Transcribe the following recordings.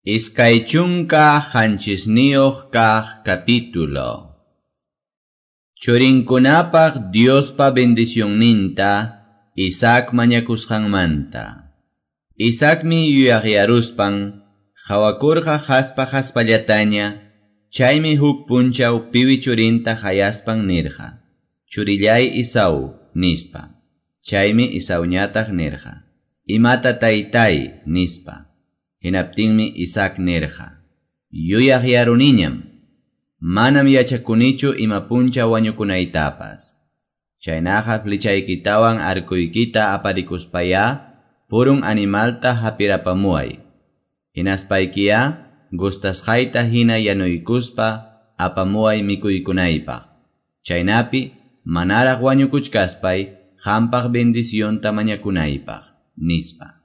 27 kaq capítulo. Churinkunapaq Diospa bendicionninta Isaac mañakusqanmanta. Isaacmi yuyaqyaruspan hawakurqa haspa haspallataña, chaymi huk punchaw piwi churinta hayaspan nirqa: "Churillay Esau", nispa. Chaymi Esauñataq nirqa: "Imata taytay", nispa. Hinaptinmi Isaac nirqa: "Yuyaqyaruniñam, manam yachakunichu ima punchaw wañukunaytapas. Chaynaqa flechaykitawan arkuykita aparikuspayá purun animalta hapirapamuway. Hinaspaykiyá gustasqayta hina yanuykuspa apamuway mikuykunaypaq. Chaynapi manaraq wañukuchkaspay qampaq bendicionta mañakunaypaq", nispa.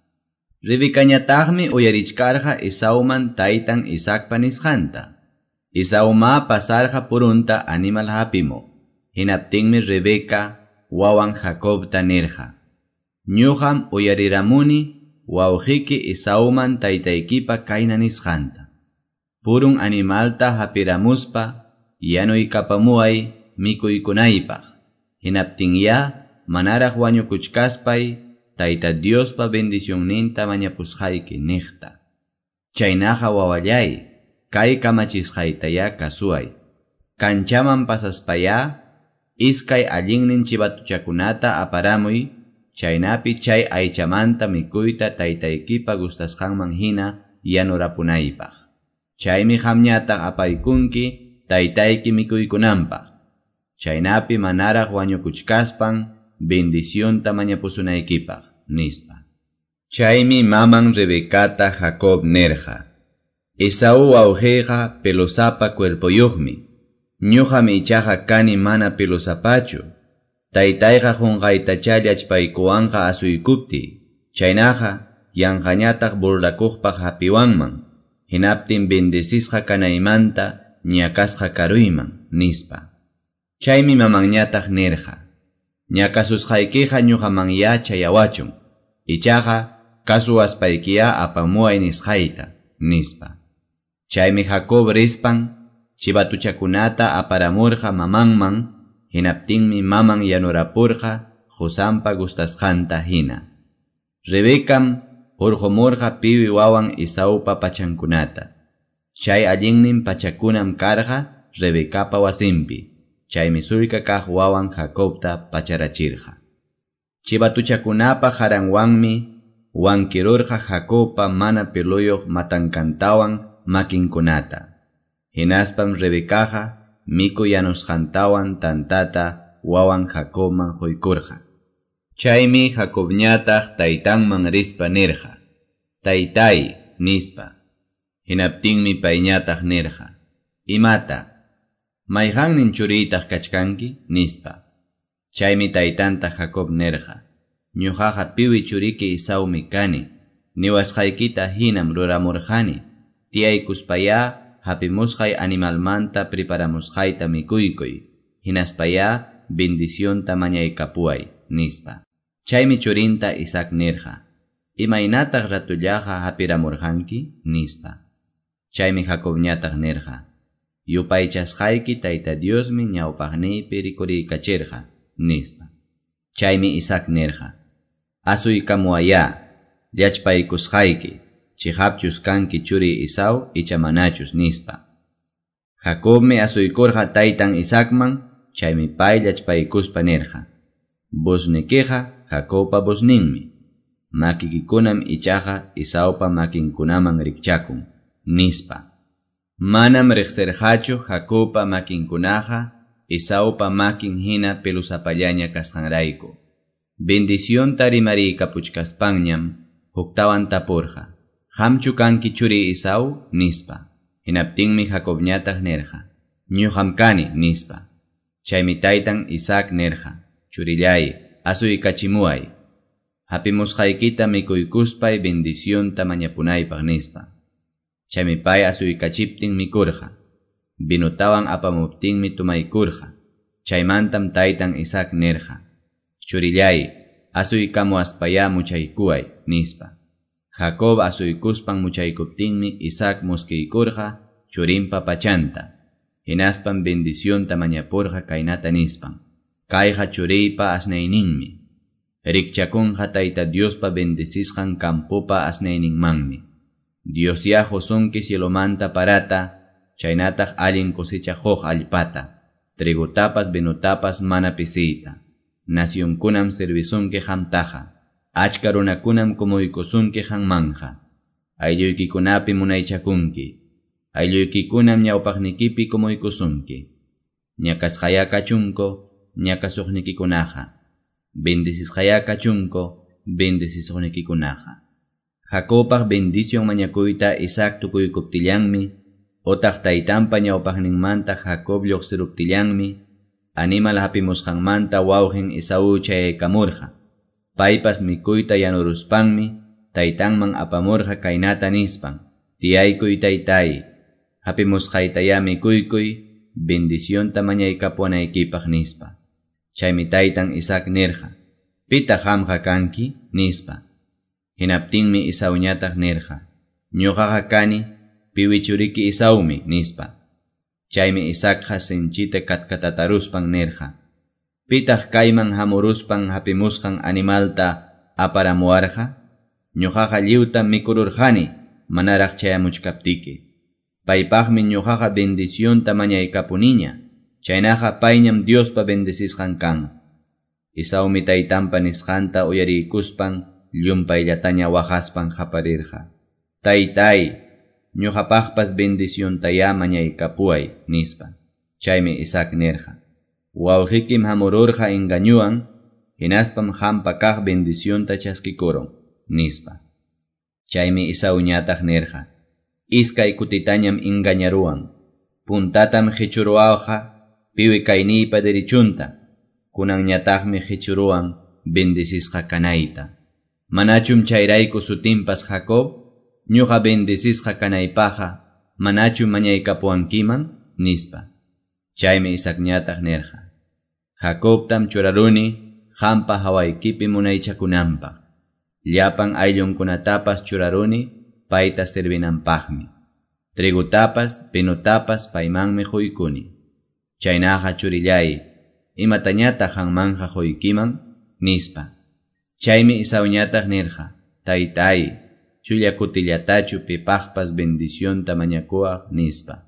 Rebecañataqmi uyarichkarqa Esauman taytan Isaacpa nisqanta. Esauma pasarqa purunta animal hapimuq. Hinaptinmi Rebeca wawan Jacobta nirqa: "Ñuqam uyariramuni wawqiyki Esauman taytaykipa kayna nisqanta: Purun animalta hapiramuspa yanuykapamuway mikuykunaypaq. Hinaptinyá manaraq wañukuchkaspay Tayta Diospa bendicionninta mañapusqayki niqta. Chaynaqa wawallay, kay kamachisqaytayá kasuway. Kanchaman pasaspayá iskay allinnin chivatuchakunata aparamuy, chaynapi chay aychamanta mikuyta taytaykipa gustasqanman hina yanurapunaypaq. Chaymi qamñataq apaykunki taytayki mikuykunanpaq. Chaynapi manaraq wañukuchkaspan bendicionta mañapusunaykipaq", nispa. Chaymi maman Rebecata Jacob nirqa: "Esaú wawqiyqa pelosapa cuerpoyuqmi. Ñuqam ichaqa kani mana pelosapachu. Taytayqa qunqaytachá llachpaykuwanqa asuykuptiy. Chaynaqa yanqañataq burlakuqpaq hapiwanman. Hinaptin bendecisqa kanaymanta ñakasqa karuyman", nispa. Chaymi mamanñataq nirqa: "Ñakasusqaykiqa ñuqamanyá chayawachun. Ichaqa kasuwaspaykiyá apamuway nisqayta", nispa. Chaymi Jacob rispan chivatuchakunata aparamurqa mamanman, hinaptinmi maman yanurapurqa qusanpa gustasqanta hina. Rebecam hurqumurqa piwi wawan Esaupa pachankunata. Chay allinnin pachakunam karqa Rebecapa wasinpi. Chaymi sullka kaq wawan Jacobta pacharachirqa. Chivatuchakunapa qaranwanmi wankirurqa Jacobpa mana peluyuq matankantawan makinkunata. Hinaspam Rebecaqa mikuy yanusqantawan tantata wawan Jacobman quykurqa. Chaymi Jacobñataq taytanman rispa nirqa: "Taytay", nispa. Hinaptinmi payñataq nirqa: "Imata? Mayqannin churiytaq kachkanki?" nispa. Chaymi taytanta Jacob nirqa: "Ñuqaqa piwi churiki Esaumi kani. Niwasqaykita hinam ruramurqani. Tiyaykuspayá hapimusqay animalmanta preparamusqayta mikuykuy. Hinaspayá bendicionta mañaykapuway", nispa. Chaymi churinta Isaac nirqa: "Imaynataq ratullaqa hapiramurqanki?" nispa. Chaymi Jacobñataq nirqa: "Yupaychasqayki Tayta Diosmi ñawpaqniypi rikuriykachirqa", nispa. Chaymi Isaac nirqa: "Asuykamuwayá, llachpaykusqayki, chiqapchus kanki churiy Esau icha manachus", nispa. Jacobmi asuykurqa taytan Isaacman, chaymi pay llachpaykuspa nirqa: "Voznikiqa Jacobpa vozninmi, makikikunam ichaqa Esaupa makinkunaman rikchakun", nispa. Manam riqsirqachu Jacobpa makinkunaqa Esaupa makin hina pelusapallaña kasqanrayku. Bendicionta rimariykapuchkaspanñam huktawan tapurqa: "Qamchu kanki churiy Esau?" nispa. Hinaptinmi Jacobñataq nirqa: "Ñuqam kani", nispa. Chaymi taytan Isaac nirqa: "Churillay, asuykachimuway. Hapimusqaykita mikuykuspay bendicionta mañapunaypaq", nispa. Chaymi pay asuykachiptin mikurqa. Vinotawan apamuptinmi tumaykurqa. Chaymantam taytan Isaac nirqa: "Churillay, asuykamuwaspayá muchaykuway", nispa. Jacob asuykuspan muchaykuptinmi Isaac muskiykurqa churinpa pachanta. Hinaspam bendicionta mañapurqa kaynata nispan: Kayqa churiypa asnayninmi. Rikchakunqa Tayta Diospa bendecisqan campopa asnayninmanmi. Diosyá qusunki cielomanta parata, chaynataq allin cosecha quq allpata, trigotapas vinotapas mana pisiyta. Nacionkunam servisunki qamtaqa, achka runakunam kumuykusunki qanmanja. Aylluykikunapi munaychakunki, aylluykikunam ñawpaqnikipi kumuykusunki. Ñakasqayá kachunku ñakasuqnikikunaqa, bendecisqayá kachunku bendecisuqnikikunaqa. Jacobpaq bendición mañakuyta Isaac tukuykuptillanmi, otaq taytanpa ñawpaqninmanta Jacob lluqsiruptillanmi, animal hapimusqanmanta wawqin Esaú chayaykamurqa. Paypas mikuyta yanuruspanmi, taytanman apamurqa kaynata nispan: Tiyaykuy taytay, hapimusqaytayá mikuykuy, bendicionta mañaykapuwanaykipaq nispa. Chaymi taytan Isaac nirqa: Pitaq qamqa kanki? Nispa. Hinaptinmi Esauñataq nirqa: Ñuqaqa kani piwi churiki Esaumi, nispa. Chaymi Isaacqa sinchita katkatataruspan nirqa: Pitaq kayman hamuruspan hapimusqan animalta aparamuwarqa? Ñuqaqa lliwtam mikururqani manaraq chayamuchkaptiki. Paypaqmi ñuqaqa bendicionta mañaykapuniña, chaynaqa payñam Diospa bendecisqan kanqa. Esaumi taytanpa nisqanta uyariykuspan llumpayllataña waqaspan qaparirqa: Taytay, ñuqapaqpas bendiciontayá mañaykapuway, nispa. Chaymi Isaac nirqa: Wawqikim hamururqa engañuwan, hinaspam qampa kaq bendicionta chaskikurun, nispa. Chaymi Esauñataq nirqa: Iskay kutitañam engañaruwan. Puntatam qichuruwawqa piwi kayniypa derechunta, kunanñataqmi qichuruwan bendecisqa kanayta. Manachum chayrayku sutinpas Jacob? Ñuqa bendecisqa kanaypaqqa manachum mañaykapuwankiman? Nispa. Chaymi Isaacñataq nirqa: Jacobtam churaruni qampa hawaykipi munaychakunanpaq. Llapan ayllunkunatapas churaruni payta servinanpaqmi. Trigotapas, vinotapas paymanmi quykuni. Chaynaqa churillay, imatañataq qanmanja quykiman? Nispa. Chaymi Esauñataq nirqa: Taytay, chulla kutillatachu pipaqpas bendicionta mañakuwaq, nispa.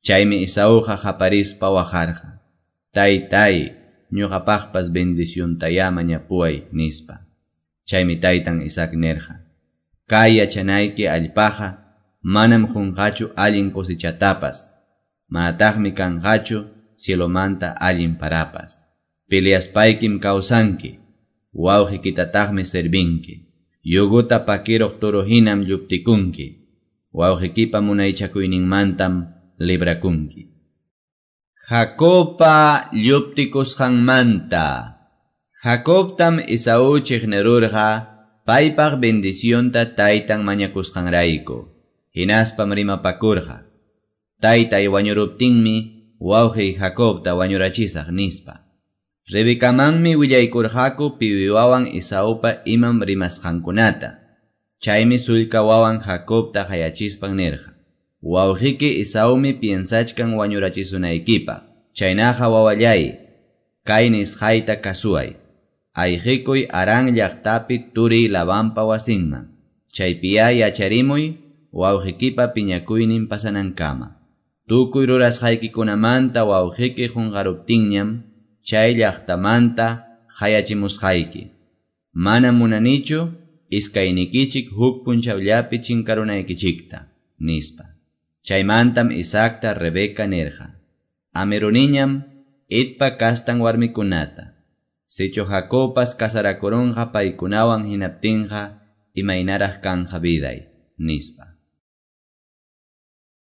Chaymi Esauqa qaparispa waqarqa: Taytay, ñuqapaqpas bendiciontayá mañapuway, nispa. Chaymi taytan Isaac nirqa: Kay yachanayki allpaqa manam qunqachu allin cosechatapas, manataqmi kanqachu cielomanta allin parapas. Peleaspaykim kawsanki, wawqikitataqmi servinki. Yuguta pakiruq toro hinam lluptikunki, wawqikipa munaychakuyninmantam librakunki. Jacobpa lluptikusqanmanta. Jacobtam Esaú chiqnirurqa paypaq bendicionta taytan mañakusqanrayku. Hinaspam rimapakurqa: Taytay wañuruptinmi wawqiy Jacobta wañurachisaq, nispa. Rebecamanmi willaykurqaku piwi wawan Esaupa imam rimasqankunata. Chaymi sullka wawan Jacobta qayachispan nirqa: Wawqiki Esaumi piensachkan wañurachisunaykipaq. Chaynaqa wawallay, kay nisqayta kasuway. Ayqikuy Harán llaqtapi turiy Labanpa wasinman. Chaypiyá yacharimuy wawqikipa piñakuynin pasanankama. Tukuy rurasqaykikunamanta wawqiki qunqaruptinñam chay llaqtamanta qayachimusqayki. Manam munanichu iskaynikichik huk punchawllapi chinkarunaykichikta, nispa. Chaymantam Isaacta Rebeca nirqa: Amiruniñam Hetpa kastan warmikunata. Sichu Jacobpas casarakurunqa paykunawan hinaptinqa imaynaraq kanja viday, nispa.